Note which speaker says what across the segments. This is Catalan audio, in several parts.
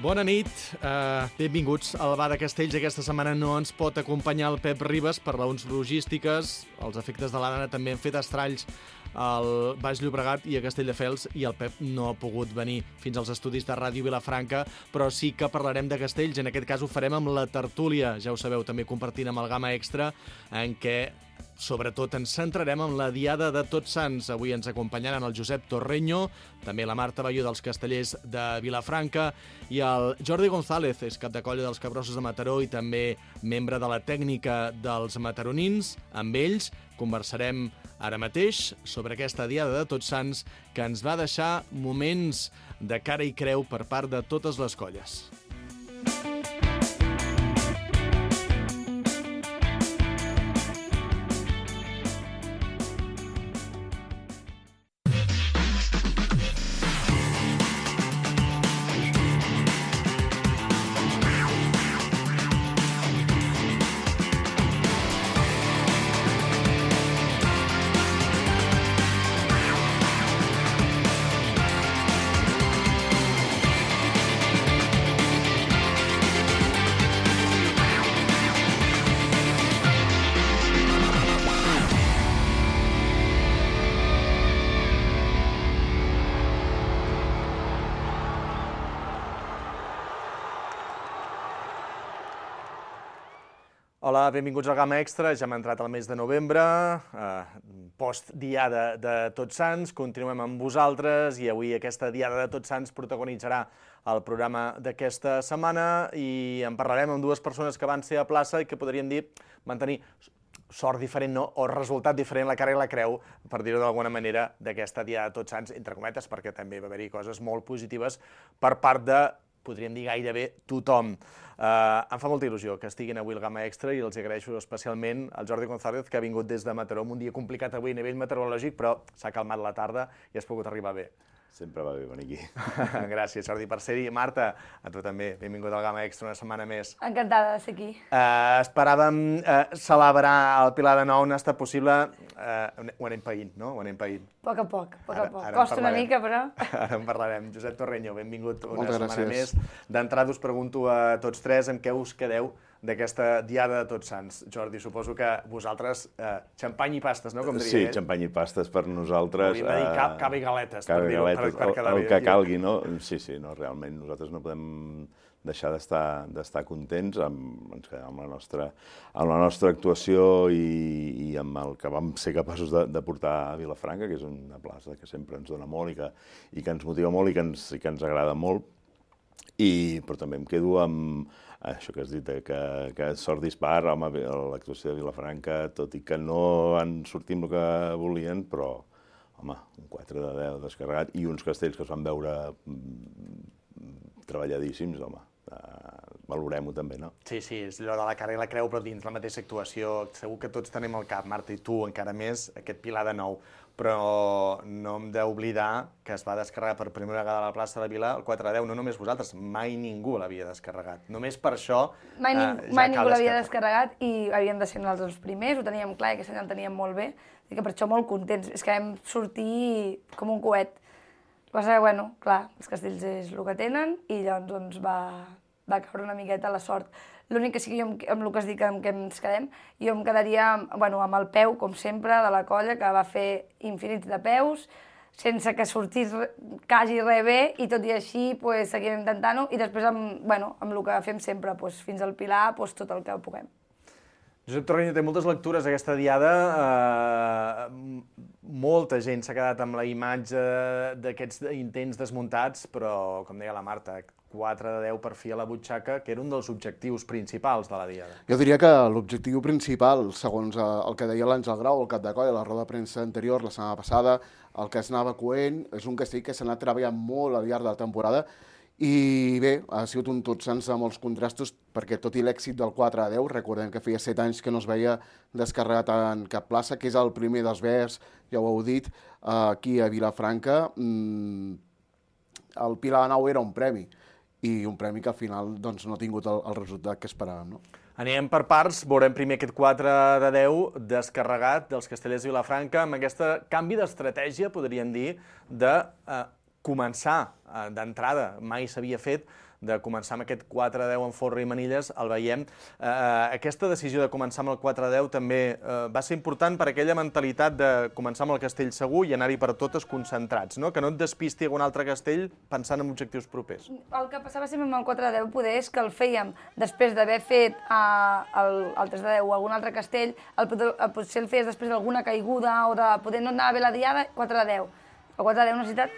Speaker 1: Bona nit, benvinguts al Bar de Castells. Aquesta setmana no ens pot acompanyar el Pep Ribas per raons logístiques. Els efectes de l'Anna també han fet estralls al Baix Llobregat i a Castelldefels i el Pep no ha pogut venir fins als estudis de Ràdio Vilafranca, però sí que parlarem de Castells. En aquest cas ho farem amb la tertúlia, ja ho sabeu, també compartint amb el Gamma Extra, en què sobretot ens centrarem en la Diada de Tots Sants. Avui ens acompanyaran el Josep Torreño, també la Marta Balló dels Castellers de Vilafranca i el Jordi González, és cap de colla dels Capgrossos de Mataró i també membre de la tècnica dels mataronins. Amb ells conversarem ara mateix sobre aquesta Diada de Tots Sants que ens va deixar moments de cara i creu per part de totes les colles. Hola, benvinguts al Gamma Extra. Ja hem entrat al mes de novembre, post-Diada de Tots Sants. Continuem amb vosaltres i avui aquesta Diada de Tots Sants protagonitzarà el programa d'aquesta setmana i en parlarem amb dues persones que van ser a plaça i que podríem dir van tenir sort diferent, no? O resultat diferent, la cara i la creu, per dir-ho d'alguna manera, d'aquesta Diada de Tots Sants, entre cometes, perquè també va haver-hi coses molt positives per part de, podríem dir, gairebé tothom. Em fa molta il·lusió que estiguin avui al Gamma Extra i els agraeixo especialment al Jordi González, que ha vingut des de Mataró, un dia complicat avui a nivell meteorològic, però s'ha calmat la tarda i has pogut arribar bé.
Speaker 2: Sempre va bé venir aquí.
Speaker 1: Gràcies, Jordi, per ser-hi. Marta, a tu també, benvingut al Gamma Extra una setmana més.
Speaker 3: Encantada de ser aquí.
Speaker 1: Esperàvem celebrar el Pilar de Nou, no ha estat possible. Ho anem païnt, no? Ho anem païnt.
Speaker 3: A poc a poc. Costa una mica, però...
Speaker 1: Ara en parlarem. Josep Torreño, benvingut una setmana més. D'entrada us pregunto a tots tres amb què us quedeu d'aquesta Diada de Tots Sants. Jordi, suposo que vosaltres, xampany i pastes, no?
Speaker 2: Sí, xampany i pastes per nosaltres.
Speaker 1: Hauríem de dir cava i galetes.
Speaker 2: El que calgui, no? Sí, no, realment, nosaltres no podem deixar d'estar contents, ens quedem amb la nostra actuació i amb el que vam ser capaços de portar a Vilafranca, que és una plaça que sempre ens dona molt i que ens motiva molt i que ens agrada molt. Però també em quedo amb això que has dit, que sort dispar, home, l'actuació de Vilafranca, tot i que no han sortit amb el que volien, però, home, un 4 de 10 descarregat i uns castells que es van veure treballadíssims, home, valorem-ho també, no?
Speaker 1: Sí, és allò de la cara i la creu, però dins la mateixa actuació. Segur que tots tenim al cap, Marta, i tu encara més, aquest Pilar de Nou. Però no hem d'oblidar que es va descarregar per primera vegada a la plaça de Vila el 4 de 10, no només vosaltres, mai ningú l'havia descarregat. Només per això
Speaker 3: mai ningú l'havia descarregat i havíem de ser nosaltres els primers, ho teníem clar i aquest any el teníem molt bé, i que per això molt contents. És que vam sortir com un coet. El que passa que, bueno, clar, els castells és el que tenen i llavors doncs, va caure una miqueta la sort. L'únic que sí que jo, amb el que es dic que ens quedem, jo em quedaria amb el peu, com sempre, de la colla, que va fer infinits de peus, sense que sortís quasi res bé, i tot i així seguim intentant-ho, i després amb el que fem sempre, fins al Pilar, tot el que puguem.
Speaker 1: Josep Torreño té moltes lectures aquesta Diada. Molta gent s'ha quedat amb la imatge d'aquests intents desmuntats, però, com deia la Marta, 4 de 10 per fi a la butxaca, que era un dels objectius principals de la Diada.
Speaker 4: Jo diria que l'objectiu principal, segons el que deia l'Àngel Grau, el cap de colla, a la roda de premsa anterior, la setmana passada, el que es anava coent, és un castell que s'ha anat treballant molt al llarg de la temporada i bé, ha sigut un Tots Sants amb molts contrastos, perquè tot i l'èxit del 4 a 10, recordem que feia 7 anys que no es veia descarregat en cap plaça, que és el primer dels Verds, ja ho heu dit, aquí a Vilafranca. El Pilar de Nou era un premi, i un premi que al final doncs, no ha tingut el resultat que esperàvem, no?
Speaker 1: Anem per parts, veurem primer aquest 4 de 10 descarregat dels Castellers de Vilafranca amb aquest canvi d'estratègia, podríem dir, de començar d'entrada, mai s'havia fet, de començar amb aquest 4-10 en Folre i Manilles, el veiem. Aquesta decisió de començar amb el 4-10 també va ser important per aquella mentalitat de començar amb el castell segur i anar-hi per totes concentrats, no? Que no et despisti a un altre castell pensant en objectius propers.
Speaker 3: El que passava sempre amb el 4-10 poder és que el fèiem després d'haver fet el 3-10 o algun altre castell, potser el feies després d'alguna caiguda o de poder no anar bé la diada, 4-10. El 4-10 necessita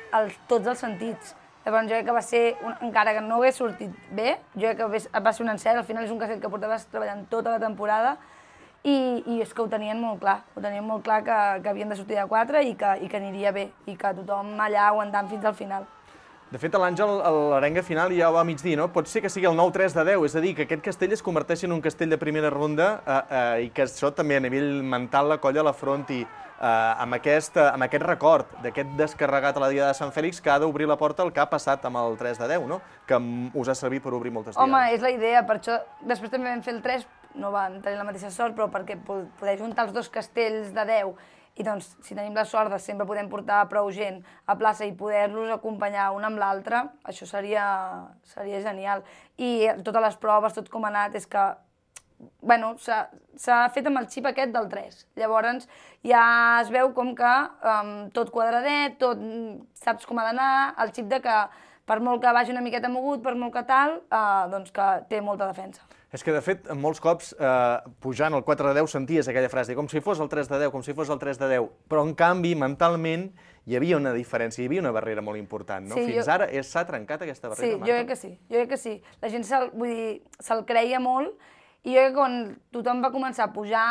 Speaker 3: tots els sentits. Llavors jo crec que va ser, encara que no hagués sortit bé, jo crec que va ser un encert, al final és un castell que portaves treballant tota la temporada i és que ho tenien molt clar que havien de sortir de 4 i que aniria bé i que tothom allà aguantant fins al final.
Speaker 1: De fet, l'Àngel, a l'arenga final ja ho va mig dir, no? Pot ser que sigui el nou 3-10, és a dir, que aquest castell es converteixi en un castell de primera ronda i que això també a nivell mental la colla l'afronti amb aquest record d'aquest descarregat a la Diada de Sant Fèlix que ha d'obrir la porta al que ha passat amb el 3-10, no? Que us ha servit per obrir moltes diades.
Speaker 3: Home, és la idea, per això després també vam fer el 3, no van tenir la mateixa sort, però perquè poder juntar els dos castells de 10 i doncs, si tenim la sort de sempre podem portar prou gent a plaça i poder-los acompanyar un amb l'altre, això seria genial. I totes les proves, tot com ha anat, és que bueno, s'ha fet amb el xip aquest del 3. Llavors ja es veu com que tot quadradet, tot saps com ha d'anar, el xip de que per molt que vagi una miqueta mogut, per molt que tal, doncs que té molta defensa.
Speaker 1: És que, de fet, molts cops, pujant el 4-10, senties aquella frase, com si fos el 3-10, com si fos el 3-10, però, en canvi, mentalment, hi havia una diferència, hi havia una barrera molt important, no? Fins ara s'ha trencat aquesta barrera, Marta?
Speaker 3: Sí, jo crec que sí. La gent se'l creia molt, i jo crec que quan tothom va començar a pujar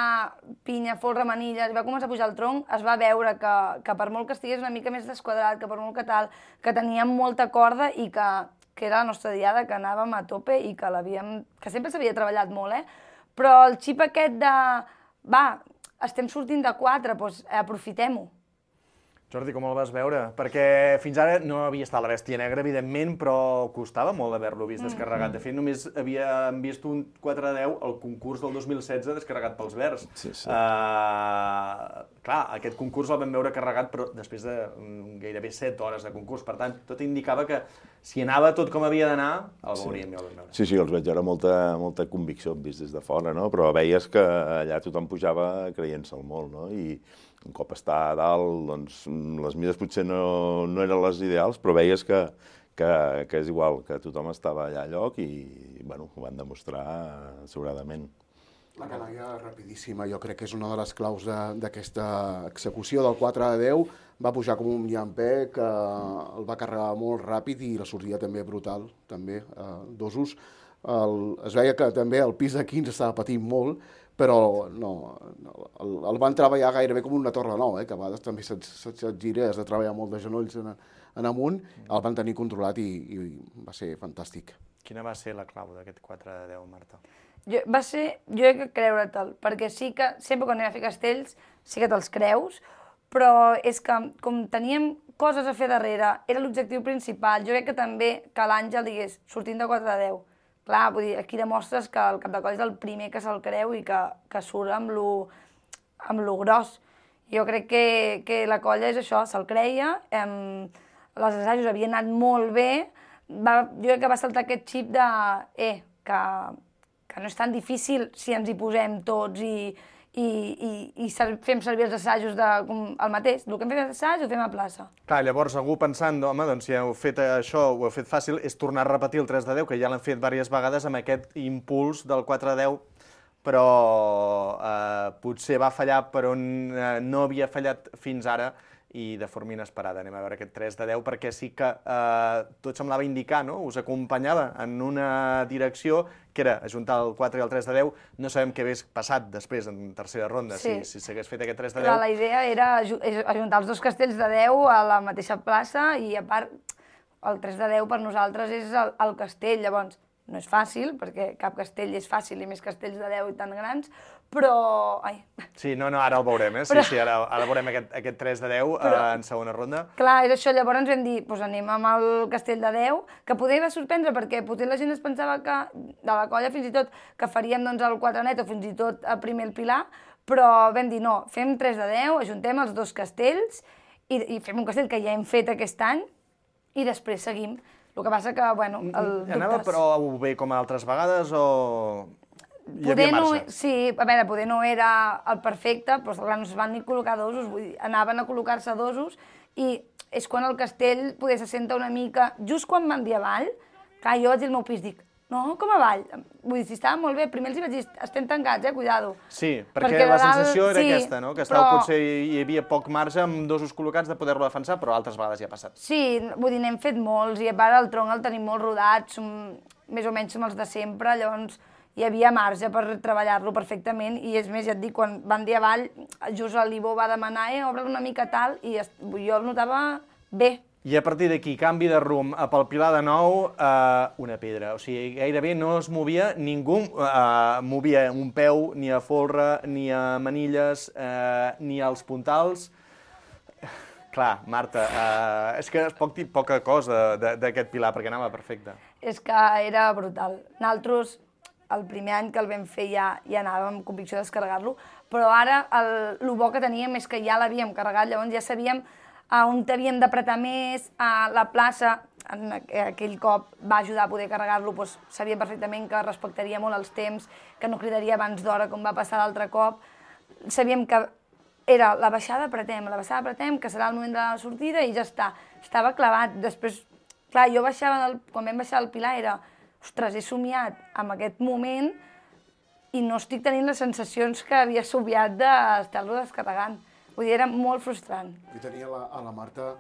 Speaker 3: pinya, folre, manilles, i va començar a pujar el tronc, es va veure que per molt que estigués una mica més desquadrat, que per molt que tal, que teníem molta corda i que era la nostra diada, que anàvem a tope i que sempre s'havia treballat molt, però el xip aquest de, estem sortint de 4, doncs aprofitem-ho.
Speaker 1: Jordi, com el vas veure? Perquè fins ara no havia estat la bèstia negra, evidentment, però costava molt haver-lo vist descarregat. De fet, només havíem vist un 4-10 al concurs del 2016 descarregat pels Verds.
Speaker 2: Sí.
Speaker 1: Clar, aquest concurs el vam veure carregat, però després de gairebé 7 hores de concurs. Per tant, tot indicava que si anava tot com havia d'anar, el veuríem i el vam veure.
Speaker 2: Sí, els veig ara molta convicció vist des de fora, no? Però veies que allà tothom pujava creient-se'l molt, no? I un cop està a dalt, doncs, les mides potser no eren les ideals, però veies que és igual, que tothom estava allà a lloc i, bueno, ho van demostrar sobradament.
Speaker 4: La canalla rapidíssima, jo crec que és una de les claus d'aquesta execució del 4-10. Va pujar com un llampec, que el va carregar molt ràpid i la sortida també brutal, també, dosos. Es veia que també el pis de 15 estava patint molt, però no, el van treballar gairebé com una torre nou, que a vegades també se't gira, has de treballar molt de genolls en amunt, el van tenir controlat i va ser fantàstic.
Speaker 1: Quina va ser la clau d'aquest 4-10, Marta?
Speaker 3: Jo crec que creure-te'l, perquè sí que sempre quan anem a fer castells sí que te'ls creus, però és que com teníem coses a fer darrere, era l'objectiu principal, jo crec que també que l'Àngel digués sortint de 4-10, clar, vull dir, aquí demostres que el cap de coll és el primer que se'l creu i que surt amb lo gros. Jo crec que la colla és això, se'l creia, els assajos havien anat molt bé, jo crec que va saltar aquest xip de que no és tan difícil si ens hi posem tots i fem servir els assajos el mateix. El que hem fet assaig ho fem a plaça.
Speaker 1: Clar, llavors algú pensant, home, doncs si heu fet això, ho heu fet fàcil, és tornar a repetir el 3-10, que ja l'hem fet diverses vegades amb aquest impuls del 4-10, però potser va fallar per on no havia fallat fins ara i de forma inesperada. Anem a veure aquest 3-10, perquè sí que tot semblava indicar, no? Us acompanyava en una direcció que era ajuntar el 4 i el 3-10. No sabem què hagués passat després, en tercera ronda, si s'hagués fet aquest 3-10.
Speaker 3: La idea era ajuntar els dos castells de 10 a la mateixa plaça i, a part, el 3-10 per nosaltres és el castell. Llavors, no és fàcil, perquè cap castell és fàcil i més castells de 10 i tan grans, però...
Speaker 1: Sí, no, ara el veurem, Sí, ara veurem aquest 3-10 en segona ronda.
Speaker 3: Clar, és això, llavors ens vam dir, doncs anem amb el castell de 10, que poder va sorprendre, perquè potser la gent es pensava que, de la colla fins i tot, que faríem doncs el 4 net o fins i tot a primer el Pilar, però vam dir, no, fem 3-10, ajuntem els dos castells i fem un castell que ja hem fet aquest any i després seguim. El que passa que, bueno,
Speaker 1: Anava prou bé com altres vegades o hi havia marge?
Speaker 3: Sí, a veure, poder no era el perfecte, però clar, no es van ni col·locar dosos, vull dir, anaven a col·locar-se dosos i és quan el castell poder se senta una mica... Just quan van dir avall, clar, jo vaig dir al meu pis, dic, no, com avall? Vull dir, si estava molt bé, primer els hi vaig dir, estem tancats, cuidado.
Speaker 1: Sí, perquè la sensació era aquesta, no? Que potser hi havia poc marge amb dosos col·locats de poder-lo defensar, però altres vegades ja ha passat.
Speaker 3: Sí, vull dir, n'hem fet molts, i a part el tronc el tenim molt rodat, més o menys som els de sempre, llavors hi havia marge per treballar-lo perfectament, i és més, ja et dic, quan van dir avall, just l'Ivo va demanar, obre'l una mica tal, i jo el notava bé.
Speaker 1: I a partir d'aquí, canvi de rumb, pel Pilar de nou, una pedra. O sigui, gairebé no es movia, ningú movia un peu ni a folre, ni a manilles, ni als puntals. Clar, Marta, és que es pot dir poca cosa d'aquest Pilar, perquè anava perfecte.
Speaker 3: És que era brutal. Nosaltres, el primer any que el vam fer ja anàvem amb convicció de descarregar-lo, però ara el bo que teníem és que ja l'havíem carregat, llavors ja sabíem on havíem d'apretar més, a la plaça, aquell cop va ajudar a poder carregar-lo, doncs sabia perfectament que respectaria molt els temps, que no cridaria abans d'hora com va passar l'altre cop. Sabíem que era la baixada apretem, que serà el moment de la sortida i ja està. Estava clavat. Després, clar, jo baixava, quan vam baixar el Pilar era, ostres, he somiat amb aquest moment i no estic tenint les sensacions que havia somiat d'estar-lo descarregant. Vull dir, era molt frustrant.
Speaker 4: Jo tenia a la Marta,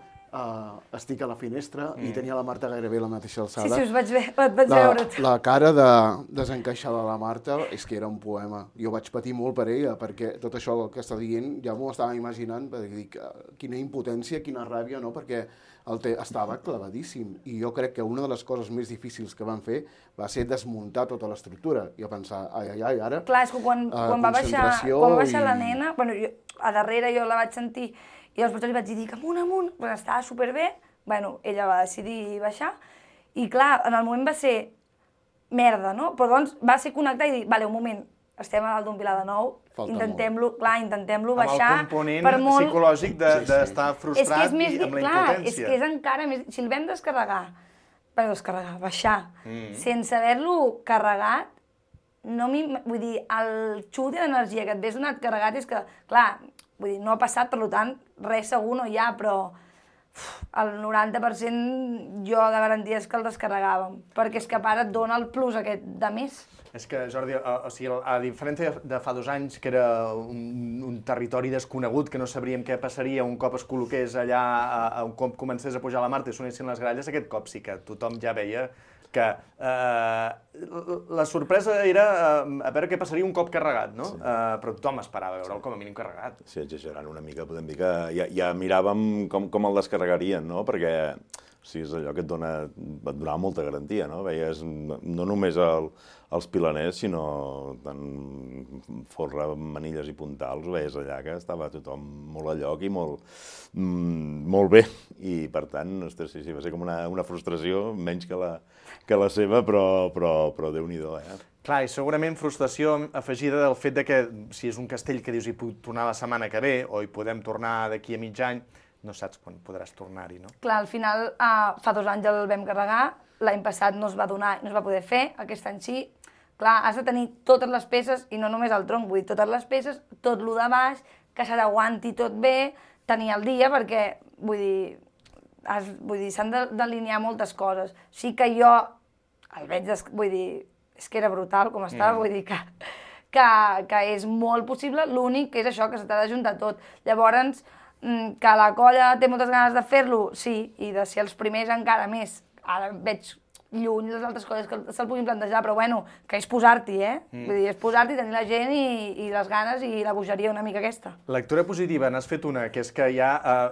Speaker 4: estic a la finestra, i tenia la Marta gairebé a la mateixa alçada.
Speaker 3: Sí, us vaig veure.
Speaker 4: La cara de desencaixar de la Marta és que era un poema. Jo vaig patir molt per ella, perquè tot això que està dient ja m'ho estava imaginant, perquè dic, quina impotència, quina ràbia, no? Perquè estava clavadíssim. I jo crec que una de les coses més difícils que van fer va ser desmuntar tota l'estructura. I a pensar, ai, ara...
Speaker 3: Clar, és que quan va baixar la nena, bueno, a darrere jo la vaig sentir, i llavors li vaig dir, amunt, però estava superbé, bueno, ella va decidir baixar, i clar, en el moment va ser merda, no? Però doncs va ser connectar i dir, vale, un moment, estem a dalt d'un Pilar de nou, intentem-lo baixar...
Speaker 1: Amb el component psicològic d'estar frustrat i amb la impotència.
Speaker 3: És que és encara més... Si el vam baixar, sense haver-lo carregat, vull dir, el xut d'energia que et ves donat carregat és que, clar, vull dir, no ha passat, per tant, res segur no hi ha, però el 90% jo de garanties que el descarregàvem, perquè és que a part et dona el plus aquest de més.
Speaker 1: És que, Jordi, a diferència de fa 2 anys, que era un territori desconegut, que no sabríem què passaria un cop es col·loqués allà, un cop comencés a pujar la Marta i sonessin les gralles, aquest cop sí que tothom ja veia que la sorpresa era a veure què passaria un cop carregat, no? Sí. Però tothom esperava veure'l com a mínim carregat.
Speaker 2: Sí, exagerant una mica, podem dir que ja miràvem com el descarregarien, no? Perquè és allò que et donava molta garantia, no? Veies no només els pilaners, sinó tant folre, manilles i puntals, ho veies allà que estava tothom molt a lloc i molt bé. I, per tant, ostres, sí, va ser com una frustració, menys que la seva, però Déu-n'hi-do,
Speaker 1: Clar, i segurament frustració afegida del fet que si és un castell que dius hi puc tornar la setmana que ve o hi podem tornar d'aquí a mig any, no saps quan podràs tornar-hi, no?
Speaker 3: Clar, al final, fa 2 anys el vam carregar, l'any passat no es va donar, no es va poder fer, aquest any sí. Clar, has de tenir totes les peces, i no només el tronc, vull dir, totes les peces, tot lo de baix, que se t'aguanti tot bé, tenir el dia, perquè, vull dir, s'han d'alinear moltes coses. Sí que jo el veig, vull dir, és que era brutal com estava, vull dir que és molt possible, l'únic que és això, que se t'ha d'ajuntar tot. Llavors, que la colla té moltes ganes de fer-lo, sí, i de ser els primers encara més. Ara veig lluny les altres coses que se'l puguin plantejar, però bueno, que és posar-t'hi, Vull dir, és posar-t'hi, tenir la gent i les ganes i la bogeria una mica aquesta.
Speaker 1: Lectura positiva, n'has fet una, que és que ja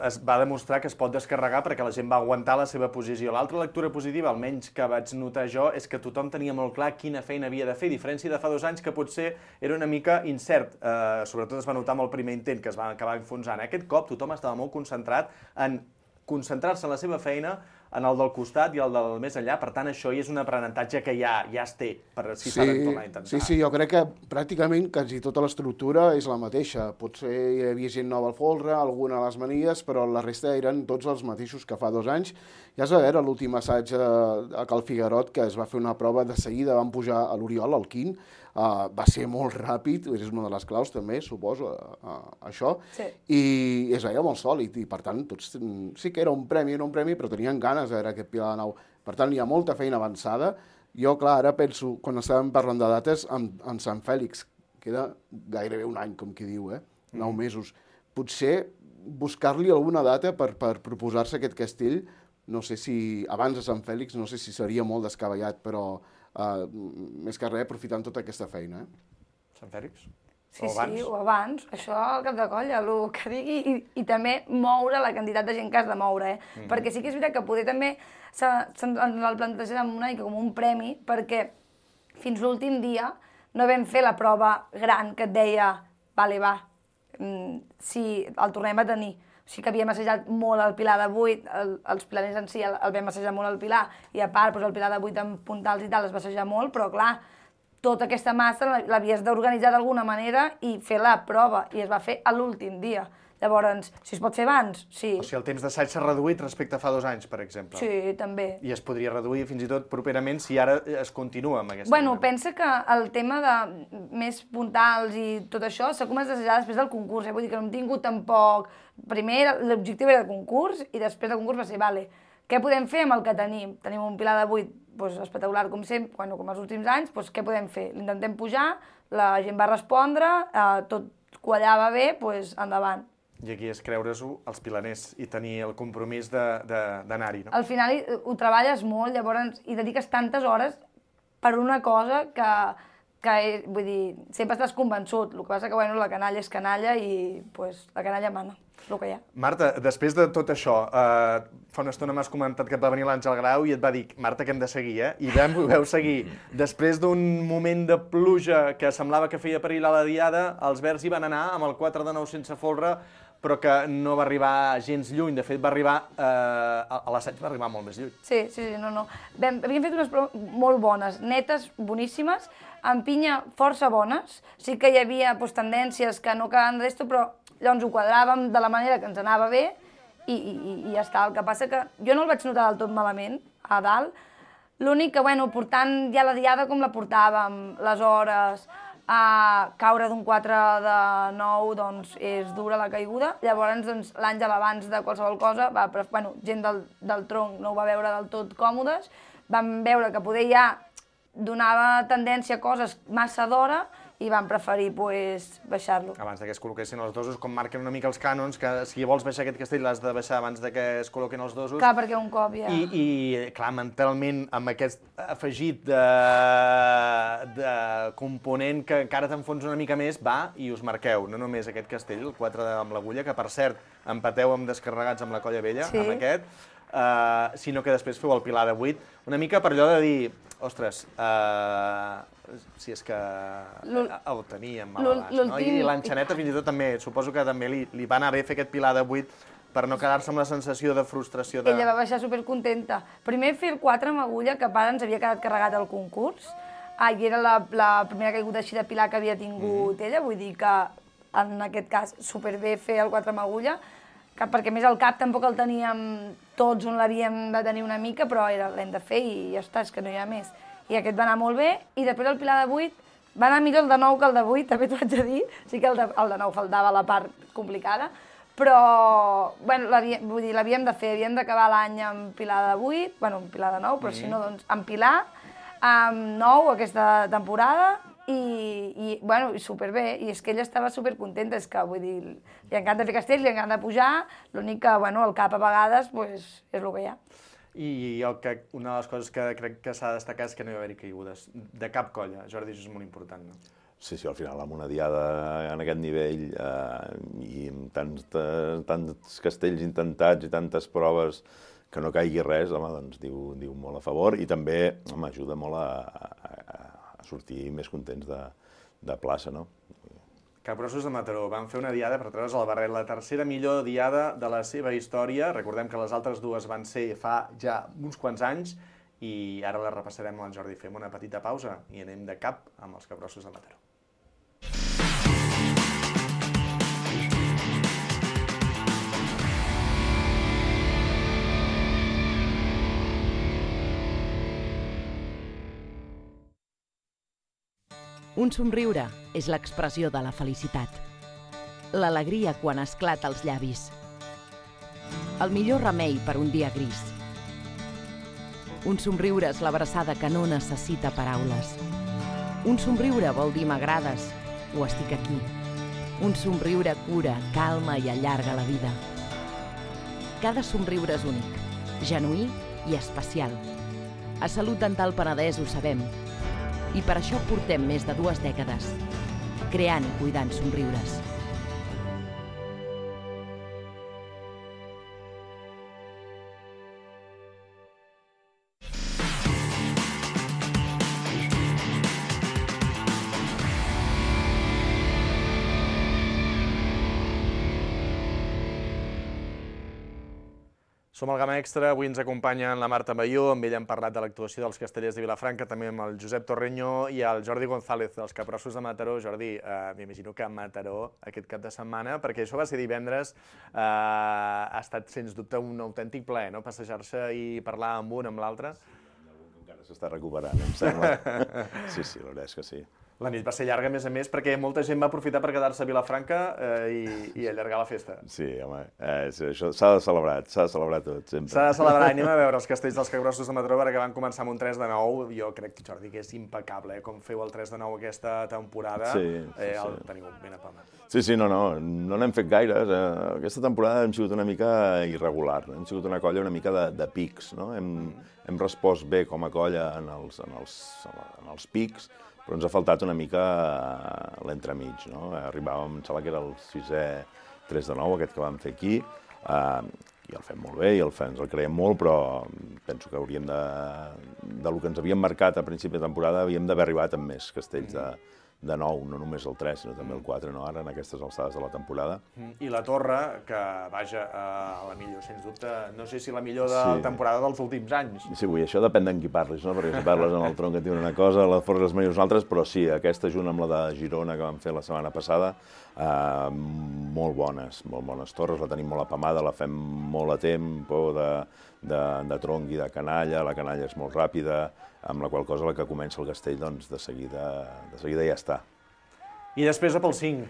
Speaker 1: es va demostrar que es pot descarregar perquè la gent va aguantar la seva posició. L'altra lectura positiva, almenys que vaig notar jo, és que tothom tenia molt clar quina feina havia de fer, a diferència de fa 2 anys que potser era una mica incert. Sobretot es va notar amb el primer intent, que es va acabar enfonsant. Aquest cop tothom estava molt concentrat en concentrar-se en la seva feina, en el del costat i el del més enllà, per tant això és un aprenentatge que ja es té, per si s'ha de tornar a intentar.
Speaker 4: Sí, jo crec que pràcticament quasi tota l'estructura és la mateixa. Potser hi havia gent nova al folre, alguna a les manies, però la resta eren tots els mateixos que fa 2 anys. Ja es va veure l'últim assaig a Cal Figuerot, que es va fer una prova de seguida, van pujar a l'Oriol, al Quint, va ser molt ràpid, és una de les claus també, suposo, això, i es veia molt sòlid, i per tant tots sí que era un premi, però tenien ganes de veure aquest Pilar de Nou. Per tant, hi ha molta feina avançada. Jo, clar, ara penso, quan estàvem parlant de dates, en Sant Fèlix, queda gairebé un any, com qui diu, 9 mesos. Potser buscar-li alguna data per proposar-se aquest castell, no sé si, abans de Sant Fèlix, no sé si seria molt descabellat, però més que res aprofitant tota aquesta feina.
Speaker 1: Sant Fèlix?
Speaker 3: Sí, o abans. Això al cap de colla, el que digui, i també moure la quantitat de gent que has de moure, perquè sí que és veritat que poder també el plantejar una mica com un premi, perquè fins l'últim dia no vam fer la prova gran que et deia, vale, va, si el tornem a tenir. O sigui que havíem assajat molt el Pilar de 8, els pilaners en si el vam assajar molt al Pilar, i a part el Pilar de 8 amb puntals i tal es va assajar molt, però clar, tota aquesta massa l'havies d'organitzar d'alguna manera i fer la prova, i es va fer a l'últim dia. Llavors, si es pot fer abans, sí.
Speaker 1: O sigui, el temps d'assaig s'ha reduït respecte a fa 2 anys, per exemple.
Speaker 3: Sí, també.
Speaker 1: I es podria reduir fins i tot properament si ara es continua amb aquesta...
Speaker 3: Bueno, pensa que el tema de més puntals i tot això s'ha començat a assajar després del concurs, vull dir que no hem tingut tampoc... Primer l'objectiu era el concurs i després del concurs va ser, vale, què podem fer amb el que tenim? Tenim un Pilar de 8 espectacular com sempre, com els últims anys, què podem fer? L'intentem pujar, la gent va respondre, tot quallava bé, endavant.
Speaker 1: I aquí és creure's-ho els pilaners i tenir el compromís d'anar-hi, no?
Speaker 3: Al final ho treballes molt, llavors hi dediques tantes hores per una cosa que vull dir, sempre estàs convençut. El que passa que, la canalla és canalla i la canalla mana, és el que hi ha.
Speaker 1: Marta, després de tot això, fa una estona m'has comentat que et va venir l'Àngel Grau i et va dir, Marta, que hem de seguir, I vau seguir. Després d'un moment de pluja que semblava que feia perillar la diada, els verds hi van anar amb el 4 de 9 sense folre, però que no va arribar gens lluny. De fet, va arribar... a l'assaig va arribar molt més lluny.
Speaker 3: Sí, no. Havíem fet unes proves molt bones, netes, boníssimes, amb pinya força bones. Sí que hi havia tendències que no quedaven d'esto, però llavors ho quadràvem de la manera que ens anava bé i ja està. El que passa que jo no el vaig notar del tot malament, a dalt. L'únic que, portant ja la diada com la portàvem, les hores... caure d'un 4 de 9, doncs, és dura la caiguda. Llavors, doncs, l'Àngel, abans de qualsevol cosa, gent del tronc no ho va veure del tot còmodes, vam veure que poder ja donava tendència a coses massa d'hora i van preferir baixar-lo.
Speaker 1: Abans que es col·loquessin els dosos, com marquen una mica els cànons, que si vols baixar aquest castell l'has de baixar abans que es col·loquin els dosos.
Speaker 3: Clar, perquè un cop ja...
Speaker 1: I clar, mentalment, amb aquest afegit de component que encara t'enfons una mica més, va i us marqueu, no només aquest castell, el 4 amb l'Agulla, que per cert empateu amb Descarregats amb la Colla Vella, amb aquest, sinó que després feu el Pilar de 8, una mica per allò de dir, ostres, si és que el teníem mal abans, no? I l'Enxaneta fins i tot també, suposo que també li va anar bé fer aquest Pilar de 8 per no quedar-se amb la sensació de frustració.
Speaker 3: Ella va baixar supercontenta. Primer fer el 4 amb Agulla, que a part ens havia quedat carregat al concurs, i era la primera caiguda així de Pilar que havia tingut ella, vull dir que en aquest cas superbé fer el 4 amb Agulla, perquè més al cap tampoc el teníem tots on l'havíem de tenir una mica, però l'hem de fer i ja està, és que no hi ha més. I aquest va anar molt bé, i després el Pilar de 8 va anar millor el de 9 que el de 8, també t'ho haig de dir, sí que el de 9 faltava la part complicada, però l'havíem de fer, havíem d'acabar l'any amb Pilar de 8, amb Pilar de 9, però si no, doncs amb Pilar, amb 9 aquesta temporada, i superbé, i és que ella estava supercontenta, és que, vull dir, li encanta fer castells, li encanta pujar, l'únic que, el cap a vegades, és el que hi ha.
Speaker 1: I una de les coses que crec que s'ha de destacar és que no hi va haver caigudes de cap colla. Jordi, això és molt important, no?
Speaker 2: Sí, al final, amb una diada en aquest nivell i amb tants castells intentats i tantes proves que no caigui res, home, doncs diu molt a favor i també ajuda molt a sortir més contents de plaça, no?
Speaker 1: Capgrossos de Mataró van fer una diada per treure's el barret, la tercera millor diada de la seva història. Recordem que les altres dues van ser fa ja uns quants anys i ara les repassarem amb el Jordi. Fem una petita pausa i anem de cap amb els Capgrossos de Mataró.
Speaker 5: Un somriure és l'expressió de la felicitat. L'alegria quan esclata als llavis. El millor remei per un dia gris. Un somriure és l'abraçada que no necessita paraules. Un somriure vol dir m'agrades o estic aquí. Un somriure cura, calma i allarga la vida. Cada somriure és únic, genuí i especial. A Salut Dental Penedès ho sabem. I per això portem més de 2 dècades, creant i cuidant somriures.
Speaker 1: Som al Gamma Extra, avui ens acompanya la Marta Balló, amb ella hem parlat de l'actuació dels Castellers de Vilafranca, també amb el Josep Torreño i el Jordi González, dels Capgrossos de Mataró. Jordi, m'imagino que a Mataró aquest cap de setmana, perquè això va ser divendres, ha estat sens dubte un autèntic plaer, no?, passejar-se i parlar amb un, amb l'altre.
Speaker 2: Algun que encara s'està recuperant, em sembla. Sí, la veritat és que sí.
Speaker 1: La nit va ser llarga, a més, perquè molta gent va aprofitar per quedar-se a Vilafranca i allargar la festa.
Speaker 2: Sí, home, això s'ha de celebrar tot, sempre.
Speaker 1: S'ha de celebrar, anem a veure els castells dels Capgrossos de Mataró, perquè van començar amb un 3-9, jo crec, Jordi, que és impecable, com feu el 3-9 aquesta temporada, el teniu ben apamat.
Speaker 2: Sí, no n'hem fet gaires. Aquesta temporada hem sigut una mica irregular, hem sigut una colla una mica de pics, no? Hem respost bé com a colla en els pics, però ens ha faltat una mica l'entremig, no? Arribàvem, em sembla que era el 6è 3-9, aquest que vam fer aquí, i el fem molt bé, i ens el creiem molt, però penso que hauríem del que ens havíem marcat a principi de temporada, havíem d'haver arribat amb més castells de 9, no només el 3, sinó també el 4, no? Ara, en aquestes alçades de la temporada.
Speaker 1: I la Torre, que, vaja, la millor, sens dubte, no sé si la millor de la temporada dels últims anys.
Speaker 2: Sí, això depèn d'en qui parlis, no? Perquè si parles amb el Tronc et diuen una cosa, la Forres les millors altres, però sí, aquesta junt amb la de Girona que vam fer la setmana passada, molt bones torres, la tenim molt apamada, la fem molt a temps, de tronc i de canalla, la canalla és molt ràpida, amb la qual cosa la que comença el castell, doncs de seguida ja està.
Speaker 1: I després a pel 5,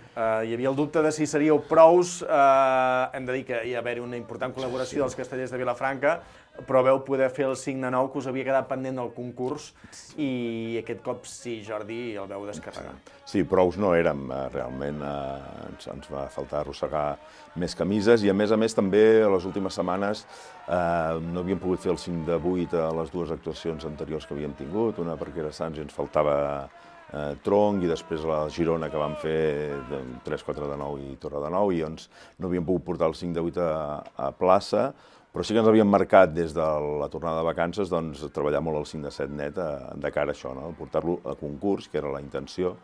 Speaker 1: hi havia el dubte de si seríeu prous, hem de dir que hi va haver una important col·laboració dels Castellers de Vilafranca, però veu poder fer el 5-9 que us havia quedat pendent del concurs i aquest cop sí, Jordi, el veu descarregar.
Speaker 2: Sí, prous no érem, realment ens va faltar arrossegar més camises i a més també a les últimes setmanes no havíem pogut fer el 5-8 a les 2 actuacions anteriors que havíem tingut, una perquè era Sants i ens faltava tronc, i després la Girona que vam fer 3-4-9 i Torre de 9, i doncs no havíem pogut portar el 5-8 a plaça, però sí que ens havíem marcat des de la tornada de vacances doncs, treballar molt el 5-7 net de cara a això, no? Portar-lo a concurs, que era la intenció,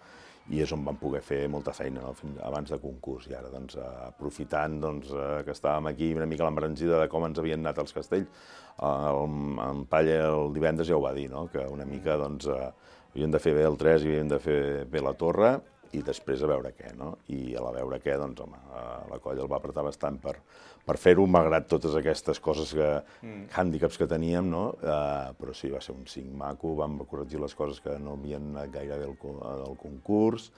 Speaker 2: i és on vam poder fer molta feina abans de concurs. I ara, doncs, aprofitant que estàvem aquí una mica a l'embranzida de com ens havien anat els castells, en Palla el divendres ja ho va dir, no? Que una mica doncs, havíem de fer bé el 3 i havíem de fer bé la torre, i després a veure què, no? I a la veure què, doncs, home, la colla el va apretar bastant per fer-ho, malgrat totes aquestes coses, hàndicaps que teníem, no? Però sí, va ser un 5 maco, vam corregir les coses que no havien anat gaire bé al concurs,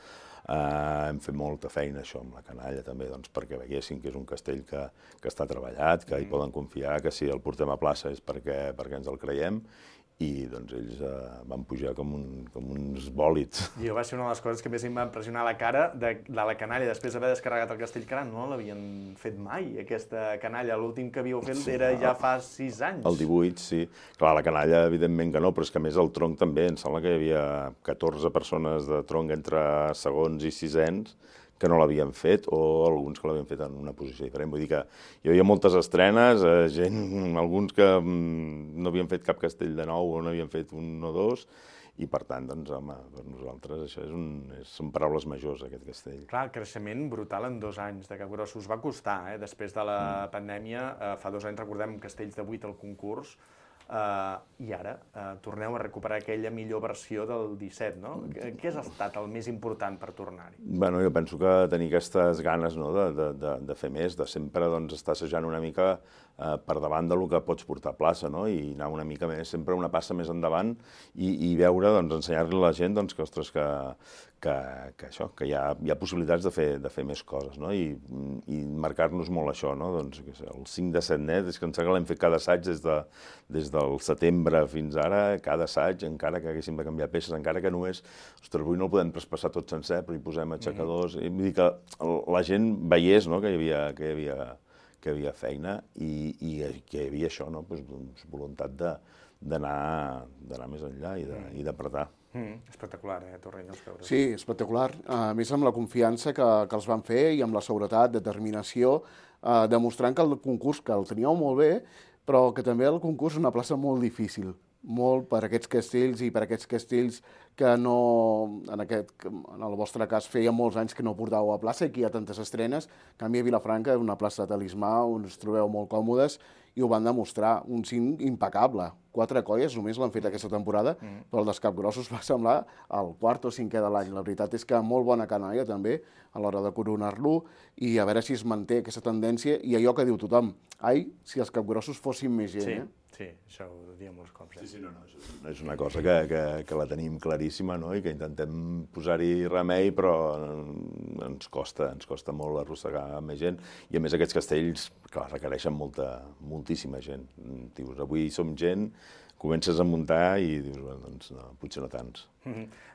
Speaker 2: hem fet molta feina, això, amb la canalla també, doncs, perquè veiessin que és un castell que està treballat, que hi poden confiar, que si el portem a plaça és perquè ens el creiem, i doncs ells van pujar com uns bòlids.
Speaker 1: I va ser una de les coses que més em va impressionar la cara de la canalla, després d'haver descarregat el castell, que no l'havien fet mai, aquesta canalla. L'últim que havíeu fet era ja fa 6 anys.
Speaker 2: El 18, sí. Clar, la canalla, evidentment que no, però és que a més el tronc també, em sembla que hi havia 14 persones de tronc entre segons i sisens que no l'havien fet, o alguns que l'havien fet en una posició diferent. Vull dir que hi havia moltes estrenes, alguns que no havien fet cap castell de nou o no havien fet un o dos, i per tant, doncs, home, per nosaltres això són paraules majors, aquest castell.
Speaker 1: Clar, creixement brutal en 2 anys de Capgrossos. Va costar, després de la pandèmia, fa 2 anys recordem castells de 8 al concurs, i ara torneu a recuperar aquella millor versió del 17, no? Què ha estat el més important per tornar-hi?
Speaker 2: Bueno, jo penso que tenir aquestes ganes de fer més, de sempre estar assajant una mica per davant del que pots portar a plaça, no? I anar una mica més, sempre una passa més endavant i veure, ensenyar-li a la gent que, ostres, que hi ha possibilitats de fer més coses, no? I marcar-nos molt això, no? Doncs el 5 de Setnet, és que em sembla que l'hem fet cada assaig des del setembre fins ara, cada assaig, encara que haguéssim de canviar peces, encara que només, ostres, avui no el podem traspassar tot sencer, però hi posem aixecadors, i vull dir que la gent veiés, no?, que hi havia feina i que hi havia això, no?, voluntat d'anar més enllà i d'apretar.
Speaker 1: Espectacular, Torrent, els veure.
Speaker 4: Sí, espectacular. A més, amb la confiança que els van fer i amb la seguretat, determinació, demostrant que el concurs, que el teníeu molt bé, però que també el concurs és una plaça molt difícil, molt per aquests castells i per aquests castells que no, en el vostre cas, feia molts anys que no portàveu a plaça i que hi ha tantes estrenes. En canvi, a Vilafranca és una plaça de talismà on us trobeu molt còmodes i ho van demostrar. Un cim impecable. 4 colles només l'han fet aquesta temporada, però el dels Capgrossos va semblar el 4o 5è de l'any. La veritat és que molt bona canalla també a l'hora de coronar-lo i a veure si es manté aquesta tendència i allò que diu tothom. Ai, si els Capgrossos fossin més gent,
Speaker 1: Sí, això ho diem molts cops.
Speaker 2: Sí, no, és una cosa que la tenim claríssima, no?, i que intentem posar-hi remei, però ens costa molt arrossegar més gent, i a més aquests castells, clar, requereixen moltíssima gent. Dius, avui som gent, comences a muntar i dius, doncs no, potser no tants.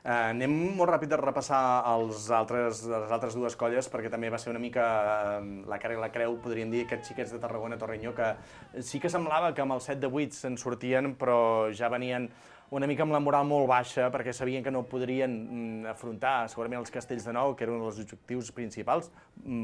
Speaker 1: Anem molt ràpid a repassar les altres 2 colles, perquè també va ser una mica la cara i la creu, podríem dir, aquests xiquets de Tarragona, Torrenyó, que sí que semblava que amb el 7 de 8 se'n sortien, però ja venien una mica amb la moral molt baixa, perquè sabien que no podrien afrontar segurament els castells de nou, que eren un dels objectius principals.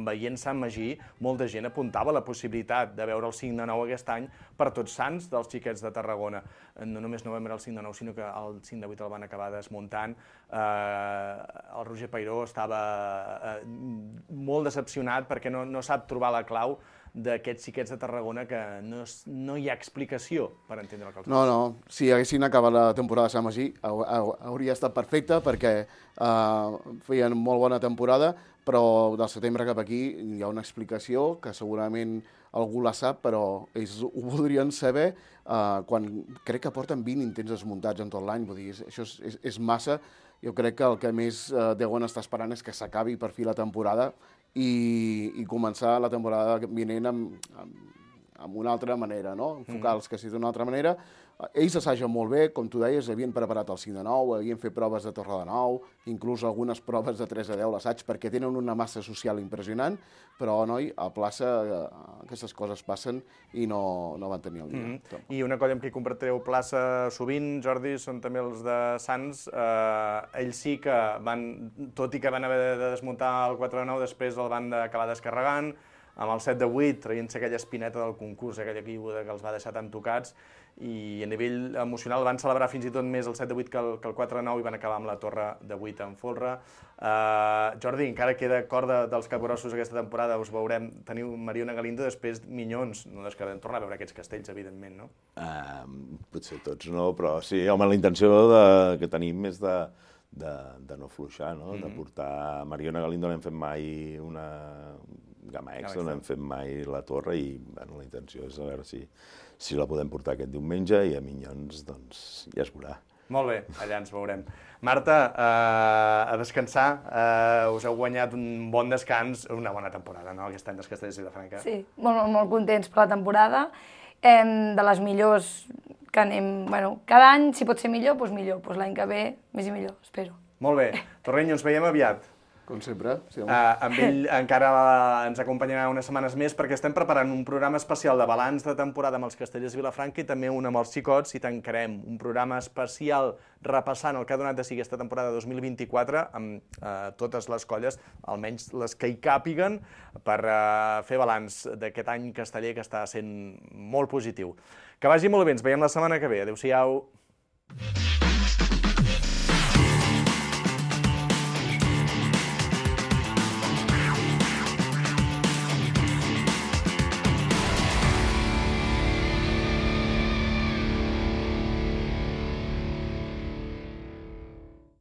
Speaker 1: Veient Sant Magí, molta gent apuntava la possibilitat de veure el 5 de 9 aquest any per Tots Sants dels xiquets de Tarragona. No només no vam veure el 5 de 9, sinó que el 5 de 8 el van acabar desmuntant. El Roger Peiró estava molt decepcionat perquè no sap trobar la clau d'aquests xiquets de Tarragona, que no hi ha explicació per entendre el que els passa.
Speaker 4: No, si haguessin acabat la temporada de Sant Magí hauria estat perfecte perquè feien molt bona temporada, però del setembre cap aquí hi ha una explicació que segurament algú la sap, però ells ho voldrien saber quan crec que porten 20 intents desmuntats en tot l'any. Vull dir, això és massa. Jo crec que el que més deuen estar esperant és que s'acabi per fi la temporada i començar la temporada vinent amb una altra manera, no? Enfocar els castells d'una altra manera. Ells assagen molt bé, com tu deies, havien preparat el 5 de 9, havien fet proves de Torre de 9, inclús algunes proves de 3 de 10 l'assaig, perquè tenen una massa social impressionant, però, noi, a plaça aquestes coses passen i no van tenir el dia.
Speaker 1: I una colla amb qui compartireu plaça sovint, Jordi, són també els de Sants. Ells sí que van, tot i que van haver de desmuntar el 4 de 9, després el van acabar descarregant, amb el 7 de 8, traient-se aquella espineta del concurs, aquella caiguda que els va deixar tan tocats, i a nivell emocional van celebrar fins i tot més el 7 de 8 que el 4 de 9 i van acabar amb la torre de 8 en folre. Jordi, encara queda corda dels Capgrossos aquesta temporada, us veurem, teniu Mariona Galindo, després Minyons, no descartem tornar a veure aquests castells, evidentment, no?
Speaker 2: Potser tots no, però sí, home, la intenció que tenim és de no fluixar, no? De portar... Mariona Galindo no hem fet mai una gamma extra, no hem fet mai la torre i la intenció és a veure si la podem portar aquest diumenge i a Minyons, doncs, ja es veurà.
Speaker 1: Molt bé, allà ens veurem. Marta, a descansar, us heu guanyat un bon descans, una bona temporada, no?, aquest any dels Castells de Vilafranca.
Speaker 3: Sí, molt contents per la temporada, de les millors que anem, bueno, cada any, si pot ser millor, doncs millor, doncs l'any que ve més i millor, espero.
Speaker 1: Molt bé, Torrenyo, ens veiem aviat.
Speaker 4: Com sempre. Sí,
Speaker 1: amb ell encara ens acompanyarà unes setmanes més perquè estem preparant un programa especial de balanç de temporada amb els Castellers de Vilafranca i també un amb els xicots i tancarem un programa especial repassant el que ha donat de si aquesta temporada 2024 amb totes les colles, almenys les que hi càpiguen, per fer balanç d'aquest any casteller que està sent molt positiu. Que vagi molt bé, ens veiem la setmana que ve. Adéu-siau.